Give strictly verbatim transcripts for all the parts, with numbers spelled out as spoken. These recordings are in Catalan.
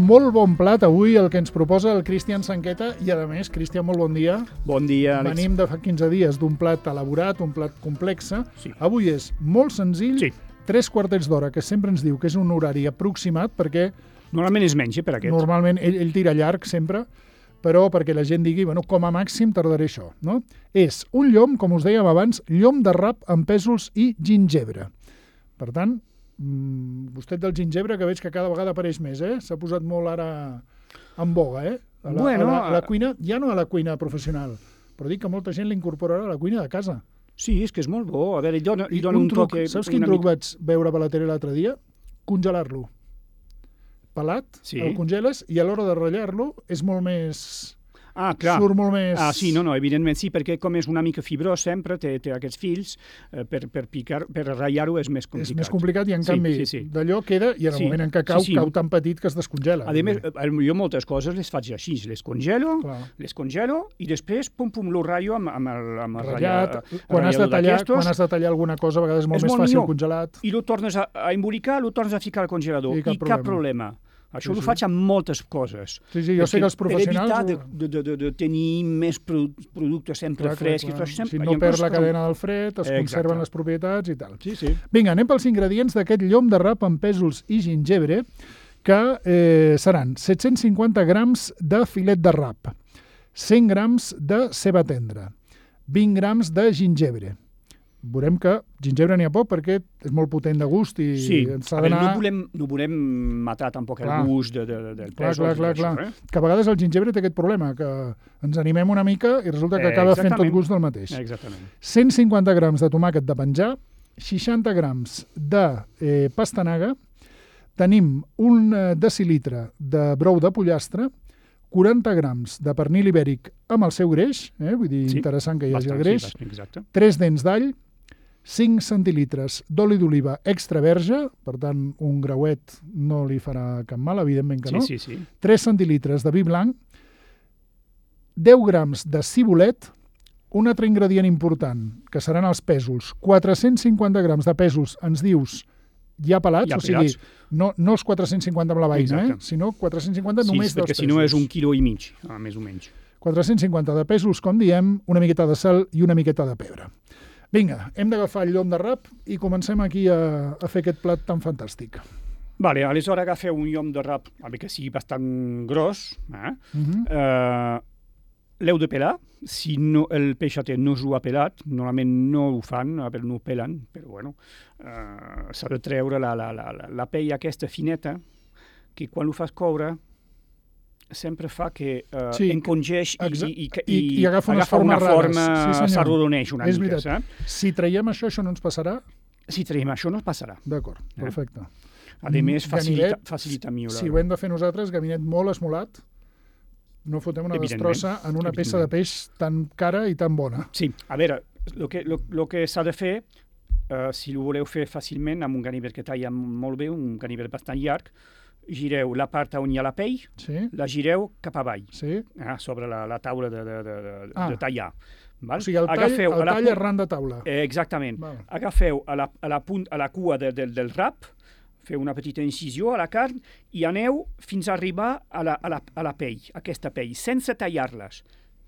molt bon plat avui el que ens proposa el Cristian Sanqueta i, a més, Cristian, molt bon dia. Bon dia, Àlex. Venim de fa quinze dies d'un plat elaborat, un plat complex. Sí. Avui és molt senzill, Sí. tres quartets d'hora, que sempre ens diu que és un horari aproximat, perquè Normalment és menys, eh, per aquest. normalment ell, ell tira llarg sempre, però perquè la gent digui, bueno, com a màxim tardaré això. No? És un llom, com us dèiem abans, llom de rap amb pèsols i gingebre. Per tant, mmm, gustet del gingebre, que veig que cada vegada apareix més, eh? S'ha posat molt ara en boga, eh? A la, Bueno, a la, a la cuina, ja no a la cuina professional, però dic que molta gent l'incorporarà a la cuina de casa. Sí, és que és molt bo. A veure, li dona, li I dona un un, truc, toque... saps quin una truc mica- vaig veure per la tele l'altre dia? Congelar-lo. Pelat, Sí. el congeles, i a l'hora de ratllar-lo és molt més... Ah, clar. Surt molt més... Ah, sí, no, no, evidentment sí, perquè com és una mica fibrós sempre, té, té aquests fils, eh, per, per picar, per ratllar-ho és més complicat. És més complicat i, en Sí, canvi, sí, sí. d'allò queda i en el Sí, moment en què cau, sí, sí. cau tan petit que es descongela. A més, eh, jo moltes coses les faig així, les congelo, Clar. les congelo i després, pum, pum, lo ratllo amb, amb el, amb el Ratllat, ratlla- quan has, de ratllador tallar, d'aquestos, quan has de tallar alguna cosa, a vegades és molt És més molt fàcil millor. congelat. i lo tornes a, a embolicar, lo tornes a ficar al congelador. I cap I cap problema. problema. Això Sí, ho sí. faig amb moltes coses. Sí, sí, jo sé que els professionals... Per evitar ho- de, de, de, de tenir més produ- productes sempre Clar, clar, frescs. clar. Això sempre, Si i no en perd plus, la com- cadena del fred, es Exacte. conserven les propietats i tal. Sí, sí. Vinga, anem pels ingredients d'aquest llom de rap amb pèsols i gingebre, que eh, seran set-cents cinquanta grams de filet de rap, cent grams de ceba tendra, vint grams de gingebre. Veurem que gingebre n'hi ha poc perquè és molt potent de gust i Sí, ens ha a veure, d'anar... no, volem, no volem matar tampoc Clar. el gust de, de, de, del Clar, pèsol. clar, clar, clar. Que a vegades el gingebre té aquest problema, que ens animem una mica i resulta que Eh, acaba fent tot exactament. gust del mateix. Exactament. cent cinquanta grams de tomàquet de penjar, seixanta grams de eh, pastanaga, tenim un eh, decilitre de brou de pollastre, quaranta grams de pernil ibèric amb el seu greix, eh, vull dir, Sí, interessant que hi hagi Bastant, el greix, sí, bastant, exacte. tres dents d'all, cinc centilitres d'oli d'oliva extra verge, per tant, un grauet no li farà cap mal, evidentment que Sí, no, sí, sí. tres centilitres de vi blanc, deu grams de cibulet, un altre ingredient important, que seran els pèsols, quatre-cents cinquanta grams de pèsols, ens dius, ja pelats, Ja o sigui, pelats. no, no els quatre-cents cinquanta amb la veïna, eh? Exacte. sinó quatre-cents cinquanta Sí, només dels perquè pèsols. si no és un quilo i mig, ah, més o menys. quatre-cents cinquanta de pèsols, com diem, una miqueta de sal i una miqueta de pebre. Vinga, hem d'agafar el llom de rap i comencem aquí a, a fer aquest plat tan fantàstic. Vale, aleshores agafeu un llom de rap, a veure que sigui bastant gros, eh? Uh -huh. Uh, l'heu de pelar. Si no, el peixater no s'ho ha pelat, normalment no ho fan, a veure, no ho pelen, però bueno, uh, s'ha de treure la, la, la, la, la pell aquesta fineta, que quan ho fas coure sempre fa que uh, Sí, encongeix i, exa- i, i, i- i agafa unes formes una rares. forma, Sí, senyor. s'arrodoneix una És mica, veritat. saps? Si traiem això, això no ens passarà? Si traiem això no passarà. D'acord, Eh? perfecte. A més, Mm, facilita, ganivet, facilita millor. Si ho hem de fer nosaltres, gabinet molt esmolat, no fotem una Evidentment, destrossa en una peça de peix tan cara i tan bona. Sí, a veure, el que, lo, lo que s'ha de fer, uh, si ho voleu fer fàcilment, amb un ganivet que talla molt bé, un ganivet bastant llarg, gireu la part on hi ha la pell, Sí? la gireu cap avall, Sí? eh, sobre la, la taula de, de, de, de, Ah. de tallar. Val? O sigui, el tall, Agafeu el a la tall pu- arran de taula. Eh, exactament. Val. Agafeu a la, a la, punt, a la cua de, de, del rap, feu una petita incisió a la carn i aneu fins a arribar a la, a la, a la pell, aquesta pell, sense tallar-les.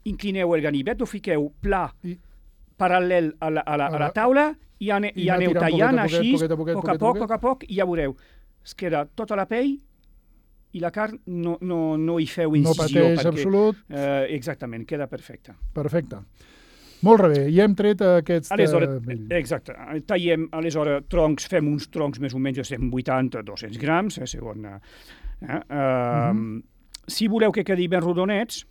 Inclineu el ganivet, ho fiqueu pla, I- paral·lel a la, a la, a la taula i, ane, I i anar aneu tirant tallant poquet a poquet, així, poquet a poquet, poc poquet a a poc, poquet. poc a poc, i ja veureu. Es queda tota la pell i la carn no, no, no hi feu No incisió. pateix absolut. Eh, exactament, queda perfecta. Perfecte. Molt bé, ja hem tret aquest... Aleshores, eh, exacte, tallem, aleshores, troncs, fem uns troncs més o menys de cent vuitanta a dos-cents grams, eh, segons... Eh, eh, uh, Mhm. Si voleu que quedi ben rodonets,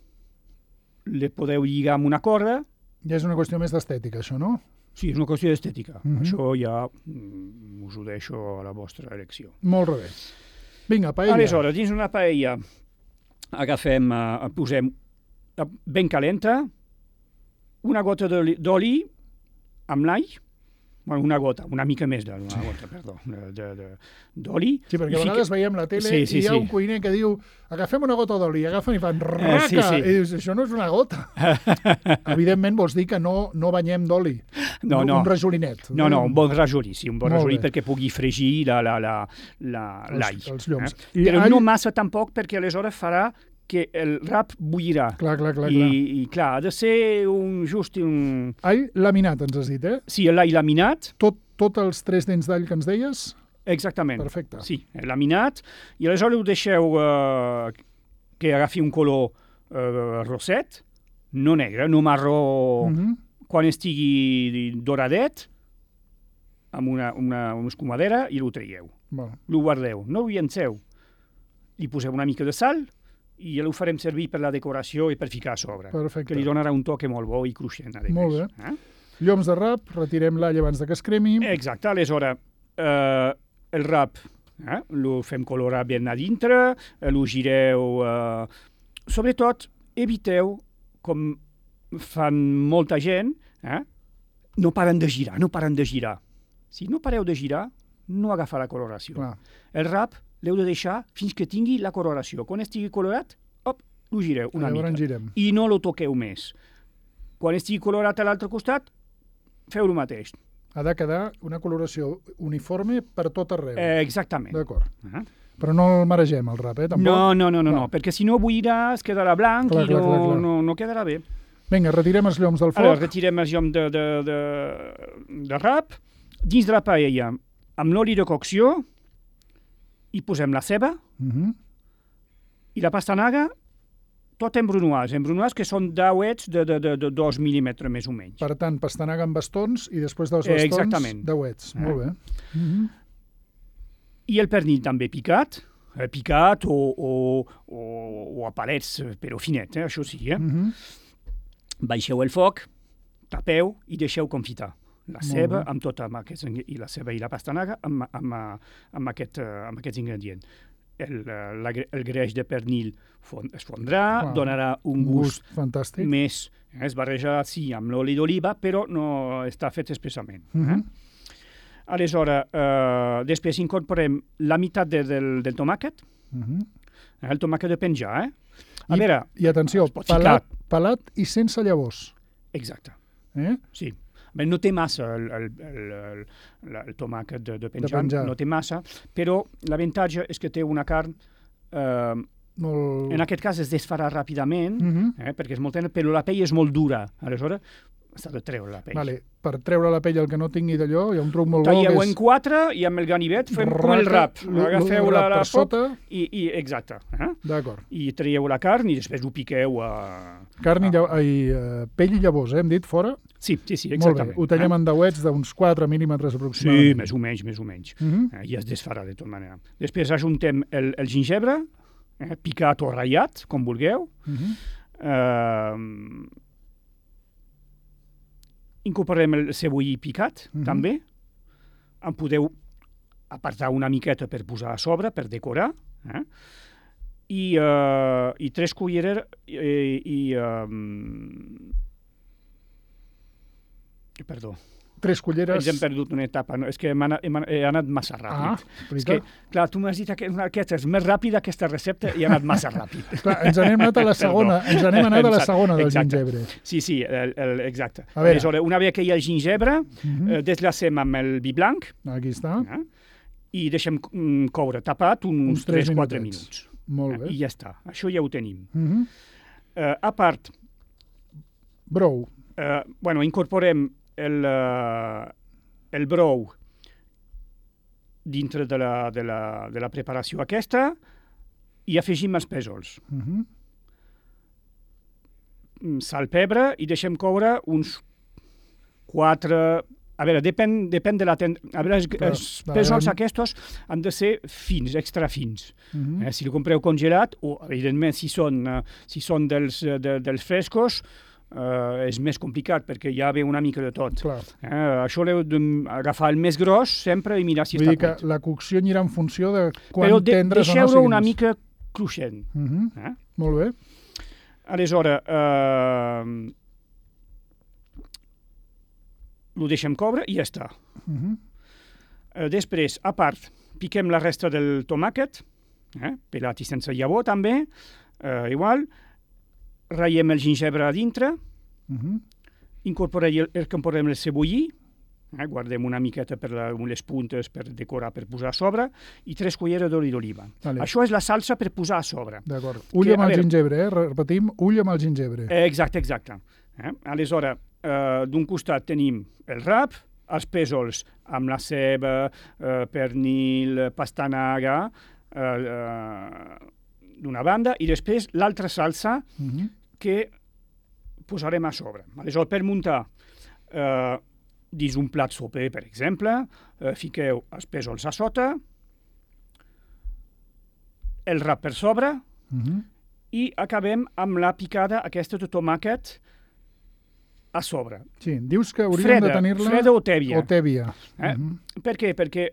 le podeu lligar amb una corda. Ja és una qüestió més d'estètica, això, no? Sí, és una qüestió d'estètica. Mhm. Això ja mm, us ho deixo a la vostra elecció. Molt bé. Vinga, paella. Aleshores, dins una paella agafem, uh, posem uh, ben calenta, una gota d'oli d'oli amb l'all, bueno, una gota, una mica més d'una gota, perdó, de- de- de- d'oli. Sí, perquè I a vegades fique- veiem la tele Sí, sí, i hi ha sí. un cuiner que diu agafem una gota d'oli, agafen i fan raca, sí, sí. i dius, això no és una gota. Evidentment vols dir que no, no banyem d'oli. no, no. Un rajolinet. No, no, un bon rajolí, sí, un bon Molt rajolí bé. perquè pugui fregir la, la, la, la, l'all. Els, els lloms. Eh? I Però all... no massa tampoc, perquè aleshores farà que el rap bullirà. Clar, clar, clar. I, clar. I, clar, ha de ser un, just un... All laminat, ens has dit, eh? Sí, l'all laminat. Tot, tot els tres dents d'all que ens deies? Exactament. Perfecte. Sí, laminat. I aleshores ho deixeu eh, que agafi un color eh, roset, no negre, no marró. Uh -huh. Quan estigui doradet, amb una, una, una escumadera, i ho traieu. Bueno. Lo guardeu, no ho llenceu. Li poseu una mica de sal i ja ho farem servir per la decoració i per ficar a sobre. Perfecte. Que li donarà un toque molt bo i cruixent. Molt bé. Eh? Lloms de rap, retirem l'all abans de que es cremi. Exacte, aleshores, eh, el rap eh, lo fem colorar ben a dintre, eh, lo gireu... Eh, sobretot, eviteu, com fan molta gent, eh, no paren de girar, no paren de girar. Si no pareu de girar, no agafa la coloració. Clar. El rap l'heu de deixar fins que tingui la coloració. Quan estigui colorat, op, lo gireu una Llavors mica. girem. I no lo toqueu més. Quan estigui colorat a l'altre costat, feu el mateix. Ha de quedar una coloració uniforme per tot arreu. Eh, exactament. D'acord. Uh-huh. Però no el maregem, el rap, eh? Tampoc? No, no, no, no, Clar. no, perquè si no bullirà, es quedarà blanc Clar, i clar, no, clar, clar. no, no quedarà bé. Vinga, retirem els lloms del foc. Ara, retirem el llom de, de, de, de rap. Dins de la paella, amb l'oli de cocció, hi posem la ceba Uh -huh. i la pastanaga, tot en brunoise, en brunoise que són dauets de, de, de, de dos mil·límetres més o menys. Per tant, pastanaga amb bastons i després dels Eh, bastons, exactament. dauets. Eh. Molt bé. Uh -huh. I el pernil també picat, eh, picat o, o, o, o a palets, però finet, eh, això sí. Eh? Uh -huh. Baixeu el foc, tapeu i deixeu confitar. La Molt ceba bé. amb tot amb aquests, i la ceba i la pastanaga amb, amb, amb, aquest, eh, amb aquests ingredients. El, eh, la, el greix de pernil fon, es fondrà, Clar. donarà un Un gust, gust fantàstic. més, eh, es barreja sí amb l'oli d'oliva, però no està fet expressament. Uh -huh. eh? Aleshores, eh, després incorporem la meitat de, del, del tomàquet, Uh -huh. eh, el tomàquet de penjar, eh? A I, veure, I atenció, es pot ficar. pelat, pelat i sense llavors. exacte. Eh? Sí. Bé, no té massa el, el, el, el, el, el tomàquet de, de, penjar, De penjar. no té massa, però l'avantatge és que té una carn, eh, Molt... en aquest cas es desfarà ràpidament, Uh -huh. eh, perquè és molt tendre, però la pell és molt dura, aleshores s'ha de treure la pell. Vale. Per treure la pell el que no tingui d'allò, hi ha un truc molt bo Talleu que en és... quatre i amb el ganivet fem com el rap. lo- lo- Agafeu lo la, rap la per foc sota. i, i exacte. Eh? D'acord. I traieu la carn i després ho piqueu a... Carn i, Ah. llav... Ai, uh, pell i llavors, eh? Hem dit, fora? Sí, sí, sí, Molt exactament. bé. Ho tallem eh? en dauets d'uns quatre mil·límetres Sí, aproximadament. més o menys, més o menys. Uh -huh. Eh, I es desfarà de tota manera. Després ajuntem el, el gingebre, eh, picat o ratllat, com vulgueu. Uh -huh. Eh, incorporem el cebollí picat, Mhm. també. En podeu apartar una miqueta per posar a sobre, per decorar. Eh? I, eh, i tres culleres i... i um... Perdó. Tres culleres... Ens hem perdut una etapa, no? És que hem anat, hem anat, he anat massa Ah, ràpid. és que, clar, tu m'has dit que una aquesta és més ràpida, aquesta recepta, i he anat massa ràpid. Clar, ens n'hem anat a la segona, ens n'hem anat a la segona del Exacte. gingebre. Sí, sí, el, el, exacte. A veure. Aleshores, una vegada que hi ha el gingebre, Uh -huh. eh, deslacem amb el vi blanc Aquí està. eh? i deixem mm, coure tapat uns, Uns tres tres quatre minutets. minuts. Molt Eh? bé. I ja està, això ja ho tenim. Uh -huh. Eh, a part, Brou. eh, bueno, incorporem el, eh, el brou dintre de la, de, la, de la preparació aquesta i afegim els pèsols. Uh -huh. Mm, sal, pebre, i deixem coure uns quatre... A veure, depèn, depèn de la... Ten... A veure, els, Clar, els la pèsols gran- aquests han de ser fins, extra fins. Uh -huh. Eh, si el compreu congelat, o evidentment si són, uh, si són dels, uh, de, dels frescos, uh, és més complicat perquè ja ve una mica de tot. Clar. Eh, això l'heu d'agafar el més gros sempre i mirar si Vull està dir que cuit. la cocció anirà en funció de quan Però de, tendres o no deixeu-lo siguin. una mica cruixent. Uh -huh. Eh? Molt bé. Aleshores, eh, ho deixem coure i ja està. Uh -huh. Eh, després, a part, piquem la resta del tomàquet, eh, pelat i sense llavor també, eh, igual, ratllem el gingebre a dintre, Uh -huh. incorporarem el, incorporem el cebollí, eh, guardem una miqueta per la, les puntes per decorar, per posar a sobre, i tres culleres d'oli d'oliva. Vale. Això és la salsa per posar a sobre. D'acord. Ull Que, amb a el veure- gingebre, eh? Repetim, ull amb el gingebre. Eh, exacte, exacte. Eh? Aleshores, eh, d'un costat tenim el rap, els pèsols amb la ceba, eh, pernil, pastanaga, eh, eh, d'una banda, i després l'altra salsa Mhm. que posarem a sobre. Aleshores, per muntar eh, dins un plat soper, per exemple, eh, fiqueu els pèsols a sota, el rap per sobre, Mhm. i acabem amb la picada aquesta de tomàquet a sobre. Sí, dius que hauríem Freda, de tenir-la... freda o tèbia. O tèbia. Eh? Mhm. Per què? Perquè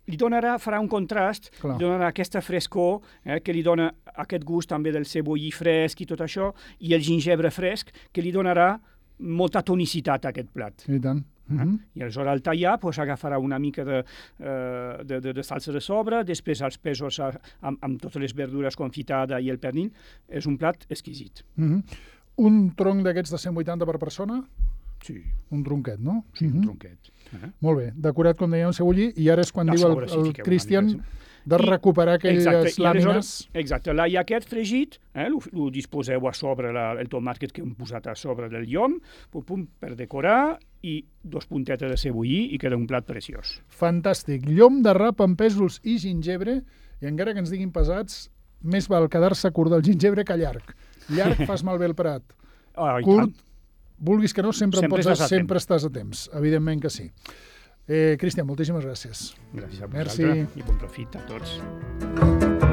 li donarà, farà un contrast, Clar. li donarà aquesta frescor, eh, que li dona aquest gust també del cebollí fresc i tot això, i el gingebre fresc, que li donarà molta tonicitat a aquest plat. I tant. Mhm. I aleshores al tallar pues, agafarà una mica de, eh, de, de, de salsa de sobre, després els pèsols a- amb, amb totes les verdures confitades i el pernil. És un plat exquisit. Mhm. Un tronc d'aquests de cent vuitanta per persona? Sí, Un tronquet, no? sí, un Mhm. tronquet. Eh? Molt bé, decorat, com dèiem, cebollí, i ara és quan A diu sobre, el, sí, el fiqueu una Cristian mica, de I- recuperar aquelles Exacte, i làmines. aleshores- Exacte, l'all aquest fregit, eh, lo, lo disposeu a sobre la, el tomàquet que hem posat a sobre del llom, pum, pum, per decorar, i dos puntetes de cebollí i queda un plat preciós. Fantàstic. Llom de rap amb pèsols i gingebre, i encara que ens diguin pesats, més val quedar-se curt del gingebre que llarg. Llarg fas malbé el prat. Ah, i Curt, tant. vulguis que no, sempre, Sempre en pots, estàs a sempre estàs a temps. Evidentment que sí. Eh, Cristian, moltíssimes gràcies. Gràcies a Merci. vosaltres i bon profit a tots.